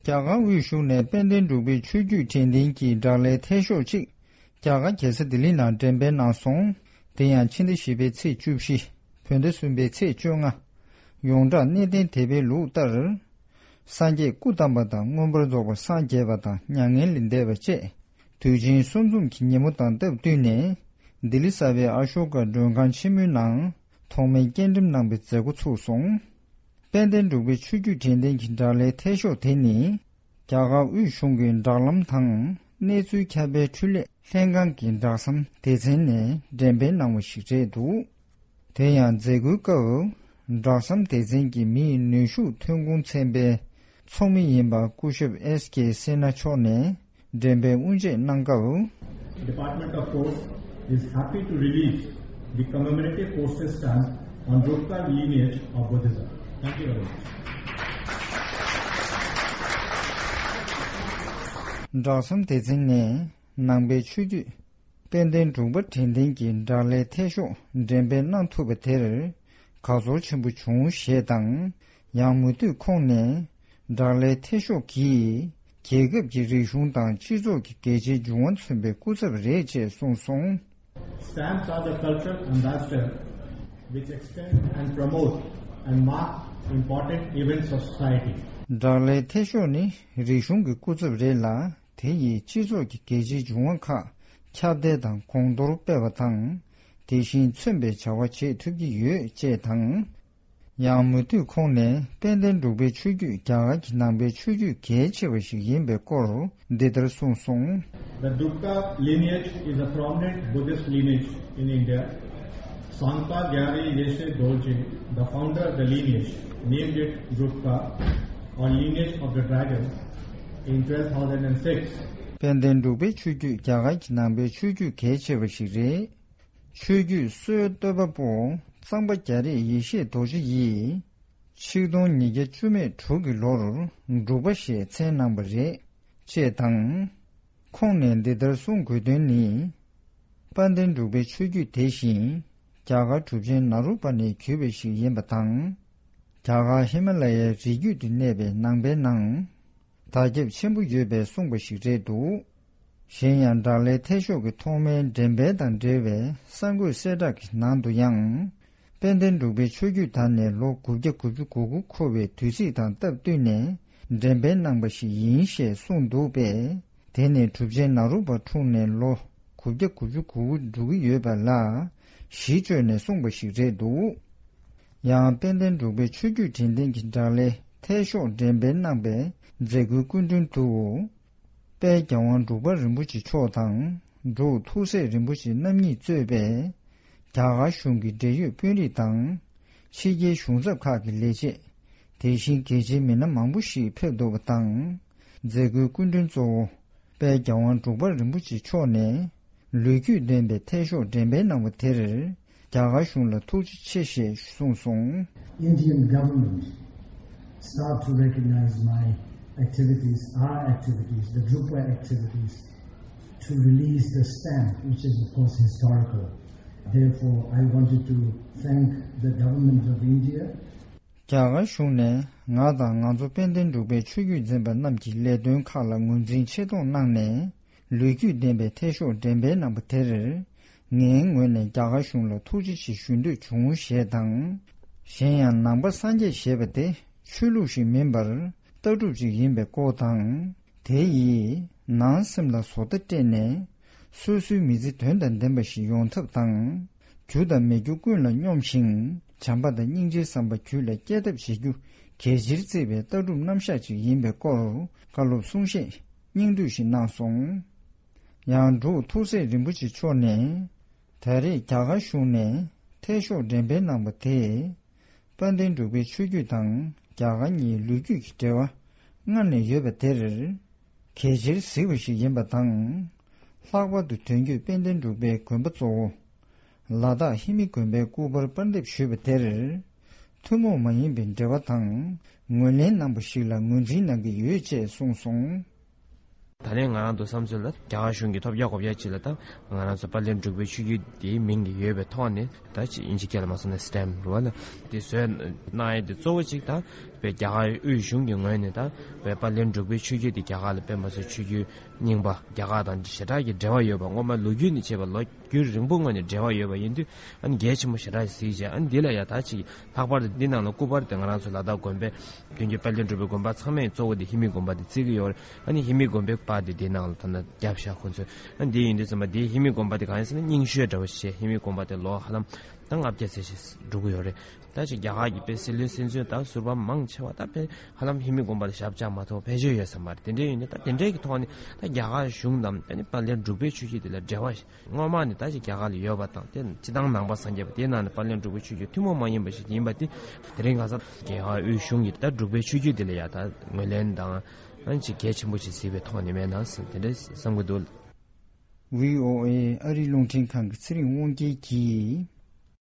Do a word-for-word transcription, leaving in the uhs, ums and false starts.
རྒྱ་གར་དབུས་གཞུང་ནས་དཔལ་ལྡན་འབྲུག་པའི་ཆོས་བརྒྱུད་དྲན་རྟེན་གྱི་བསྒྲགས་གླའི་འཐད་ཤོག་ཅིག་རྒྱ་གར་རྒྱལ་ས་ལྡི་ལི་ནང་འགྲེམས་སྤེལ་གནང་སོང་། དེ་ཡང་ཕྱི་ཟླ་བཞི་པའི་ཚེས་བཅུ་བཞི། བོད་ཟླ་གསུམ་པའི་ཚེས་བཅོ་ལྔ། ཡོངས་གྲགས་གནས་བརྟན་དད་པའི་ལུགས་ལྟར། སངས་རྒྱས་སྐུ་བལྟམས་པ་དང་མངོན་པར་རྫོགས་པར་སངས་རྒྱས་པ་དང་མྱ་ངན་ལས་འདས་པ་བཅས་དུས་ཆེན་གསུམ་འཛོམས་ཀྱི་ཉིན་མོ་དང་སྟབས་བསྟུན་ནས། ལྡི་ལི་གསར་པའི་ཨ་ཤོ་ཀ་མགྲོན་ཁང་ཆེན་མོའི་ནང་ཐོག་མའི་སྐྱེལ་འགྲེམས་གནང་པའི་མཛད་སྒོ་ཚུགས་སོང་། དཔལ་ལྡན་འབྲུག་པའི་ཆོས་བརྒྱུད་དྲན་རྟེན་གྱི་བསྒྲགས་གླའི་འཐད་ཤོག་དེ་ནི། རྒྱ་གར་དབུས་གཞུང་གི་བསྒྲགས་ལམ་དང་གནས་ཚུལ་ཁྱབ་སྤེལ་འཕྲུལ་ལས་ལྷན་ཁང་གི་བསྒྲགས་གཏམ་སྡེ་ཚན་ནས་འགྲེམས་སྤེལ་གནང་བ་ཞིག་རེད་འདུག་དེ་ཡང་མཛད་སྒོའི་སྐབས། བསྒྲགས་གཏམ་སྡེ་ཚན་གྱི་མིའི་ནུས་ཤུགས་ཐོན་ཁུངས་ཚན་པའི་ཚོགས་མི་ཡིན་པ་སྐུ་ཞབས་ཨེས་ཀེ་སེ་ན་མཆོག་ནས་འགྲེམས་སྤེལ་དབུ་འབྱེད་གནང་སྐབས། Department of Post is happy to release the commemorative postage stamp on Drukpa lineage of Buddhism. Thank you very much. བསྒྲགས་གཏམ་སྡེ་ཚན་ནས་ནང་པའི་ཆོས་བརྒྱུད་དཔལ་ལྡན་འབྲུག་པ་དྲན་རྟེན་གྱི་བསྒྲགས་གླའི་འཐད་ཤོག་འགྲེམས་སྤེལ་གནང་ཐུབ་པ་དེར་དགའ་ཚོར་ཆེན་པོ་བྱུང་ཞེས་དང་། ཡང་མུ་མཐུད་ཁོང་ནས་བསྒྲགས་གླའི་འཐད་ཤོག་གིས་རྒྱལ་ཁབ་ཀྱི་རིག་གཞུང་དང་སྤྱི་ཚོགས་ཀྱི་གལ་ཆེའི་འབྱུང་བ་མཚོན་པའི་སྐུ་ཚབ་རེད་ཅེས་གསུངས་སོང་། Stamps are the cultural ambassador which extend and promote and mark important events of society. བསྒྲགས་གླའི་འཐད་ཤོག་ནི་རིག་གཞུང་གི་སྐུ་ཚབ་རེད་ལ། དེ་ཡིས་སྤྱི་ཚོགས་ཀྱི་གལ་ཆེའི་འབྱུང་བ་ཁག་ཁྱབ་གདལ་དང་གོང་མཐོར་སྤེལ་བ་དང་། དེ་བཞིན་མཚོན་པའི་བྱ་བ་བྱེད་ཐུབ་ཀྱི་ཡོད་ཅེས་དང་། ཡང་མུ་མཐུད་ཁོང་ནས་དཔལ་ལྡན་འབྲུག་པའི་ཆོས་བརྒྱུད་རྒྱ་གར་གྱི་ནང་པའི་ཆོས་བརྒྱུད་གལ་ཆེ་བ་ཞིག་ཡིན་པའི་སྐོར་འདི་ལྟར་གསུངས་སོང་། The Drukpa lineage is a prominent Buddhist lineage in India. Sangpa Gyari Yeshe Dorje, the founder of the lineage, named it Drukpa, or lineage of the dragon, in twelve thousand and six. དཔལ་ལྡན་འབྲུག་པའི་ཆོས་བརྒྱུད་རྒྱ་གར་གྱི་ནང་པའི་ཆོས་བརྒྱུད་གལ་ཆེ་བ་ཞིག་རེད། ཆོས་བརྒྱུད་སྲོལ་གཏོད་པ་པོ་གཙང་པ་རྒྱ་རས་ཡེ་ཤེས་རྡོ་རྗེ་ཡིས་ཆིག་སྟོང་ཉིས་བརྒྱ་བཅུ་མེད་དྲུག་གི་ལོར་འབྲུག་པ་ཞེས་མཚན་གནང་བ་རེད། ཅེས་དང་། ཁོང་ནས་འདི་ལྟར་གསུང་དགོས་དོན་ནི། དཔལ་ལྡན་འབྲུག་པའི་ཆོས་བརྒྱུད་དེ་བཞིན་རྒྱ་གར་གྲུབ་ཆེན་ནཱ་རོ་པ་ནས་བརྒྱུད་པ་ཞིག་ཡིན་པ་དང་། རྒྱ་གར་ཧི་མ་ལ་ཡའི་རི་རྒྱུད་དུ་གནས་པའི་ནང་པའི་ནང་དར་ཁྱབ་ཆེན་པོ་ཡོད་པའི་གསུངས་པ་ཞིག་རེད་འདུག་གཞན་ཡང་བསྒྲགས་གླའི་འཐད་ཤོག་གི་ཐོག་མའི་འགྲེམས་སྤེལ་དང་འབྲེལ་བའི་གསར་འགོད་གསལ་བསྒྲགས་ཀྱི་ནང་དུ་ཡང་། དཔལ་ལྡན་འབྲུག་པའི་ཆོས་བརྒྱུད་དར་ནས་ལོ་དགུ་བརྒྱ་དགུ་བཅུ་གོ་དགུ་འཁོར་བའི་དུས་ཚིགས་དང་སྟབས་བསྟུན་ནས་འགྲེམས་སྤེལ་གནང་པ་ཞིག་ཡིན་ཞེས་གསུངས་འདུག་པས། དེ་ནི་གྲུབ་ཆེན་ནཱ་རོ་པ་འཁྲུངས་ནས་ལོ་དགུ་བརྒྱ་དགུ་བཅུ་གོ་དགུ་འགྲོ་གི་ཡོད་པ་ལ་གཞི་བཅོལ་ནས་གསུངས་པ་ཞིག་རེད་འདུག་ཡང་དཔལ་ལྡན་འབྲུག་པའི་ཆོས་བརྒྱུད་དྲན་རྟེན་གྱི་བསྒྲགས་གླའི་འཐད་ཤོག་འགྲེམས་སྤེལ་གནང་པའི་མཛད་སྒོའི་སྐུ་མགྲོན་དུ། དཔལ་རྒྱལ་དབང་འབྲུག་པ་རིན་པོ་ཆེ་མཆོག་དང་འབྲུག་ཐུགས་སྲས་རིན་པོ་ཆེ་རྣམ་གཉིས་གཙོས་པའི་རྒྱ་གར་གཞུང་གི་འབྲེལ་ཡོད་དཔོན་རིགས་དང་ཕྱི་རྒྱལ་གཞུང་ཚབ་ཁག་གི་ལས་བྱེད། དེ་བཞིན་གལ་ཆེའི་མི་སྣ་མང་པོ་ཞིག་ཕེབས་འདུག་པ་དང་། མཛད་སྒོའི་སྐུ་མགྲོན་གཙོ་བོ་དཔལ་རྒྱལ་དབང་འབྲུག་པ་རིན་པོ་ཆེ་མཆོག་ནས་ལོ་རྒྱུས་ལྡན་པའི་འཐད་ཤོག་འགྲེམས་སྤེལ་གནང་བ་དེར། རྒྱ་གར་གཞུང་ལ་ཐུགས་རྗེ་ཆེ་ཞེས་གསུངས་སོང་། Indian government start to recognize my activities, our activities, the Drukpa activities, to release the stamp, which is of course historical. Therefore, I wanted to thank the government of India རྒྱ་གར་གཞུང་ནས་ང་དང་ང་ཚོ་དཔལ་ལྡན་འབྲུག་པའི་ཆོས་བརྒྱུད་འཛིན་པ་རྣམས་ཀྱི་ལས་དོན་ཁག་ལ་ངོས་འཛིན་ཆེ་མཐོང་གནང་ནས། ལོ་རྒྱུས་ལྡན་པའི་འཐད་ཤོག་འགྲེམས་སྤེལ་གནང་པ་དེར། ངའི་ངོས་ནས་རྒྱ་གར་གཞུང་ལ་ཐུགས་རྗེ་ཆེ་ཞུ་འདོད་བྱུང་ཞེས་དང་། གཞན་ཡང་ནང་པ་སངས་རྒྱས་ཞེས་པ་དེ་ཆོས་ལུགས་ཤིག་མིན་པར་ལྟ་གྲུབ་ཅིག་ཡིན་པའི་སྐོར་དང་། དེ་ཡིས་ནང་སེམས་ལ་བཟོ་ལྟ་སྤྲད་ནས། སོ་སོའི་མི་ཚེ་དོན་དང་ལྡན་པ་ཞིག་ཡོང་ཐབས་དང་། རྒྱུ་དང་མི་རྒྱུ་ཀུན་ལ་སྙོམས་ཤིང་བྱམས་པ་དང་སྙིང་རྗེའི་བསམ་པ་རྒྱུད་ལ་སྐྱེ་ཐབས་བྱེད་རྒྱུ་གལ་ཆེར་བརྩི་བའི་ལྟ་གྲུབ་རྣམ་གཞག་ཅིག་ཡིན་པའི་སྐོར་བཀའ་སློབ་གསུང་བཤད་སྙིང་བསྡུས་ཤིག་གནང་སོང་། ཡང་འབྲུག་ཐུགས་སྲས་རིན་པོ་ཆེ་མཆོག་ནས་ད་རེས་རྒྱ་གར་གཞུང་ནས་འཐད་ཤོག་འགྲེམས་སྤེལ་གནང་པ་དེས། དཔལ་ལྡན་འབྲུག་པའི་ཆོས་བརྒྱུད་དང་རྒྱ་གར་གཉིས་ལོ་རྒྱུས་ཀྱི་འབྲེལ་བ་སྔར་ནས་ཡོད་པ་དེར་གལ་ཆེར་གཟིགས་པ་ཞིག་ཡིན་པ་དང་། ལྷག་པར་དུ་དོན་བརྒྱུད་དཔལ་ལྡན་འབྲུག་པའི་དགོན་པ་གཙོ་བོ་ལ་དྭགས་ཧི་མི་དགོན་པའི་སྐུ་པར་པར་འདེབས་ཞུས་པ་དེར། ཐུན་མོང་མ་ཡིན་པའི་འབྲེལ་བ་དང་ངོས་ལེན་གནང་པ་ཞིག་ལ་ངོས་འཛིན་གནང་གི་ཡོད་ཅེས་གསུངས་སོང་། ད་ལན་ང་རང་ཚོ་བསམ་ཚུལ་ལ་རྒྱ་གར་གཞུང་གིས་ཐོབ་རྒྱག་གོ་རྒྱག་ཅིག་ལ་ད་ང་རང་ཚོ་དཔལ་ལྡན་འབྲུག་པའི་ཆོས་བརྒྱུད་དེའི་མིང་གི་ཡོད་པའི་ཐོག་ནས་ད་ཅིག་དབྱིན་ཇི་སྐད་ལ་མ་སོང་ན་སི་ཊེམ་རུ་བ་ལ་དེ་བཟོས་གནང་ཡས་དེ་གཙོ་བོ་ཅིག་ད་ པའི་རྒྱ་གར་དབུས་གཞུང་གི་ངོས་ནས་ད་བའི་དཔལ་ལྡན་འབྲུག་པའི་ཆོས་བརྒྱུད་དེ་རྒྱ་གར་ལ་དཔེ་མ་སྲིད་ཆོས་བརྒྱུད་རྙིང་པ་རྒྱ་གར་དང་ཞེ་དྲག་གི་འབྲེལ་བ་ཡོད་པ། སྔོན་མ་ལོ་རྒྱུས་ནས་བྱས་པ་ལོ་རྒྱུས་རིང་པོ་སྔོན་ནས་འབྲེལ་བ་ཡོད་པ་ཡིན་དུས། ཨ་ནི་གལ་ཆེན་པོ་ཞེ་དྲག་གཟིགས་བྱས། ཨ་ནི་འདི་ལ་ཡ་ད་ཅིག་ལྷག་པར་དུ་འདི་ནང་ལ་སྐུ་པར་དེ་ང་རང་ཚོ་ལ་དྭགས་དགོན་པའི་དོན་གྱི་དཔལ་ལྡན་འབྲུག་པའི་དགོན་པ་ཚང་མའི་གཙོ་བོ་དེ་ཧི་མི་དགོན་པ་དེ་བརྩི་གི་ཡོད་རེད། ཨ་ནི་ཧི་མི་དགོན་པའི་པར་དེ་འདི་ནང་ལ་ད་ནི་བརྒྱབ་ཤག་ཁོ་ཚོས། ཨ་ནི་འདི་ཡིན་དུས་ཙམ་པ་འདི་ཧི་མི་དགོན་པ་དེ་གང་ཡིན་ཟེར་ན་རྙིང་ཤོས་འདྲ་བོ་ཞིག་བྱས། ཧི་མི་དགོན་པ་དེ་ལོ་ཧ་ལམ་ད་ལྔ་བརྒྱ་ཙམ་ཞིག་འགྲོ་གི་ཡོད་རེད། ད་ཅིག་རྒྱ་གར་གྱི་དཔེ་སྲིད་བློན་སྲིད་འཛིན་དང་ཟུར་པ་མང་ཆེ་བ་ད་དཔེ་ཧ་ལམ་ཧི་མི་དགོན་པ་ལ་ཞབས་བཅགས་མ་ཐུབ་ཕལ་ཆེར་ཡོད་ས་མ་རེད། དེ་འདྲ་ཡིན་དུས་ད་དེ་འདྲའི་གི་ཐོག་ནས་ད་རྒྱ་གར་གཞུང་དང་ཨ་ནི་དཔལ་ལྡན་འབྲུག་པའི་ཆོས་བརྒྱུད་དེ་ལ་འབྲེལ་བ་སྔོན་མ་ནས་ད་ཅིག་རྒྱ་གར་ལ་ཡོད་པ་དང་། དེ་སྤྱི་བཏང་ནང་པ་སངས་རྒྱས་པ་དེའི་ནང་ནས་དཔལ་ལྡན་འབྲུག་པའི་ཆོས་བརྒྱུད་ཐུན་མོང་མ་ཡིན་པ་ཞིག་ཡིན་པ་དེ། དེ་རིང་ཁ་སང་རྒྱ་གར་དབུས་གཞུང་གིས་ད་འབྲུག་པའི་ཆོས་བརྒྱུད་དེ་ལ་ཡ་ད་ངོས་ལེན་དང་ཨ་ནི་ཅིག་གལ་ཆེན་པོ་ཞིག་གཟིགས་པའི་ཐོག་ནས་མེད་ན་ཟེར་དེ་འདྲ་བསམ་གྱི་འདུག། ཝི་ཨོ་ཨེ་ཨ་རིའི་རླུང་འཕྲིན་ཁང་གི་ཚེ་རིང་དབང་རྒྱལ་གྱིས།